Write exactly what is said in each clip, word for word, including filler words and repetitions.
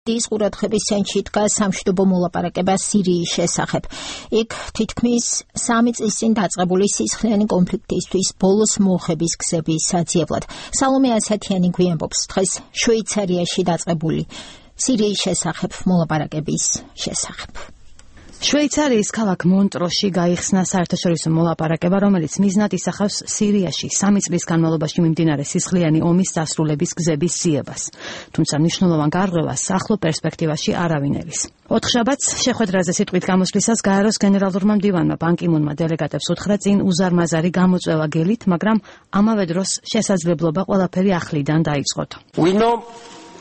ის ყურადღების ცენტრში დგას სამშვიდობო მოლაპარაკება სირიის შესახებ. იქ თითქმის სამი წლის წინ დაწყებული სისხლიანი კონფლიქტისთვის ბოლოს მოხების გზების საძიებლად. სალომე ასათიანი გვიამბობს დღეს შვეიცარიაში დაწყებული სირიის შესახებ მოლაპარაკების შესახებ. შვეიცარიის ქალაქ მონტროში გაიხსნა საერთაშორისო მოლაპარაკება, რომელიც მიზნად ისახავს სირიაში სამი წლის განმავლობაში მიმდინარე სისხლიანი ომის დასრულების გზების ძიებას. თუმცა მნიშვნელოვან გარღვევას ახლო პერსპექტივაში არავინ ერის. ოთხშაბათს შეხვედრაზე სიტყვით გამოსვლისას გაეროს გენერალურმა მდივანმა ბან კი მუნმა დელეგატებს უთხრა წინ უზარმაზარი გამოწვევა გელით, მაგრამ ამავე დროს შესაძლებლობა ყველაფერი ახლიდან დაიწყოთ. We know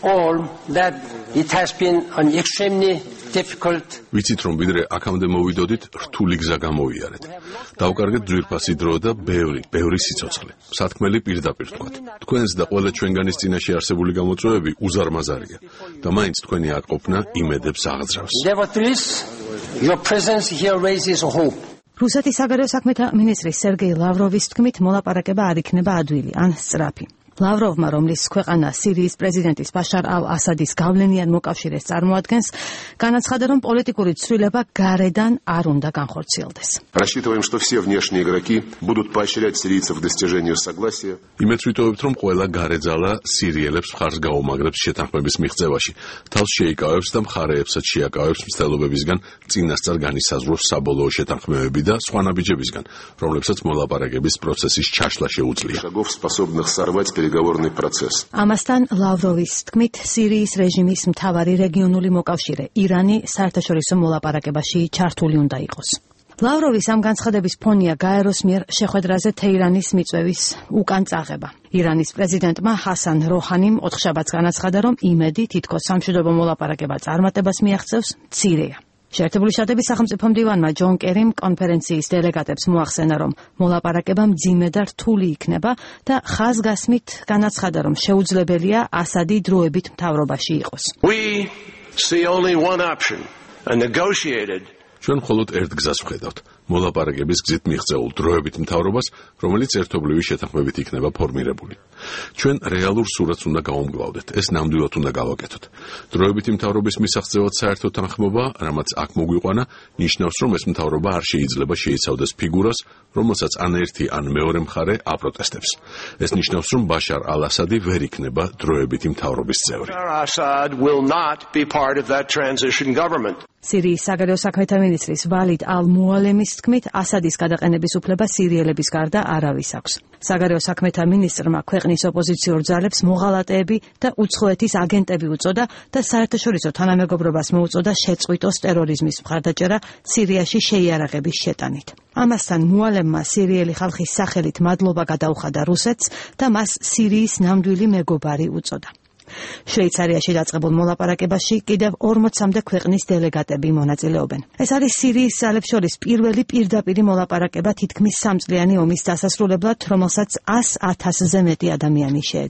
all that it has been an extremely difficult. ვიცით რომ ვიდრე აქამდე მოვიდოდით, რთული გზა გამოვიარეთ. დავკარგეთ ძვირფასი დრო და ბევრი, ბევრი სიცოცხლე. სათქმელი პირდაპირ თქვათ. თქვენს და ყველა ჩვენგანის წინაშე არსებული გამოწვევები უზარმაზარია და მაინც თქვენი აკყოფნა იმედებს აღძრავს. Nevertheless, your presence here raises hope. რუსეთის საგარეო საქმეთა მინისტრის სერგეი ლავროვის თქმით, მოლაპარაკება არ იქნება ადვილი ან სწრაფი. ლავროვმა, რომლის ქვეყანა სირიის პრეზიდენტის ბაშარ ალ-ასადის გავლენიან მოკავშირეს წარმოადგენს, განაცხადა, რომ პოლიტიკური ცვლილება გარედან არ უნდა განხორციელდეს. Рассчитываем, что все внешние игроки будут поощрять сирийцев к достижению согласия. იმედს ვიტოვებთ, რომ ყველა გარეძალა სირიელებს მხარს გაუმაგრებს შეთანხმების მიღწევაში, თავს შეიკავებს და მხარეებსაც შეაკავებს მცდელობებისგან წინასწარ განისაზღვროს საბოლოო შეთანხმებები და სხვა ნაბიჯებისგან, რომლებსაც მოლაპარაკების პროცესის ჩაშლა შეუძლია. Шагов, способных сорвать переговорный процесс. ამასთან ლავროვის თქმით, სირიის რეჟიმის მთავარი რეგიონული მოკავშირე ირანი საერთაშორისო მოლაპარაკებაში ჩართული უნდა იყოს. ლავროვის ამ განცხადების ფონია გაეროს მიერ შეხვედრაზე თეირანის მიწვევის უკან წაღება. ირანის პრეზიდენტმა ჰასან როჰანიმ ოთხშაბათს განაცხადა, რომ იმედი თითქოს სამშვიდობო მოლაპარაკება წარმატებას მიაღწევს მცირეა. შეერთებული შტატების სახელმწიფო მდივანმა ჯონ კერიმ კონფერენციის დელეგატებს მოახსენა, რომ მოლაპარაკება მძიმე და რთული იქნება და ხაზგასმით განაცხადა, რომ შეუძლებელია ასადი დროებით მთავრობაში იყოს. We see only one option, a negotiated. ჩვენ მხოლოდ ერთ გზას ვხედავთ, მოლაპარაკების გზით მიღწეულ დროებით მთავრობას, რომელიც ერთობლივი შეთანხმებით იქნება ფორმირებული. ჩვენ რეალურ სურათს უნდა გავუმგლავდეთ, ეს ნამდვილად უნდა გავაკეთოთ. დროებითი მთავრობის მისაღწევად საერთო თანხმობა, რამაც აქ მოგვიყვანა, ნიშნავს, რომ ეს მთავრობა არ შეიძლება შეიცავდეს ფიგურას, რომელსაც ან ერთი ან მეორე მხარე აპროტესტებს. ეს ნიშნავს, რომ ბაშარ ალ-ასადი ვერ იქნება დროებითი მთავრობის წევრი. Assad will not be part of that transition government. სირიის საგარეო საქმეთა მინისტრის ვალიდ ალ-მუალემის თქმით, ასადის გადაყენების უფლება სირიელების გარდა არავის აქვს. საგარეო საქმეთა მინისტრმა ქვეყნის ოპოზიციურ ძალებს მოღალატეები და უცხოეთის აგენტები უწოდა და საერთაშორისო თანამეგობრობას მოუწოდა შეწყვიტოს ტერორიზმის მხარდაჭერა სირიაში შეიარაღების შეტანით. ამასთან მუალემმა სირიელი ხალხის სახელით მადლობა გადაუხადა რუსეთს და მას სირიის ნამდვილი მეგობარი უწოდა. შვეიცარიაში დაწყებულ მოლაპარაკებაში კიდევ ორმოცამდე ქვეყნის დელეგატები მონაწილეობენ. ეს არის სირიის ძალებს შორის პირველი პირდაპირი მოლაპარაკება თითქმის სამწლიანი ომის დასასრულებლად, რომელსაც ას ათასზე მეტი ადამიანი შეეძინა.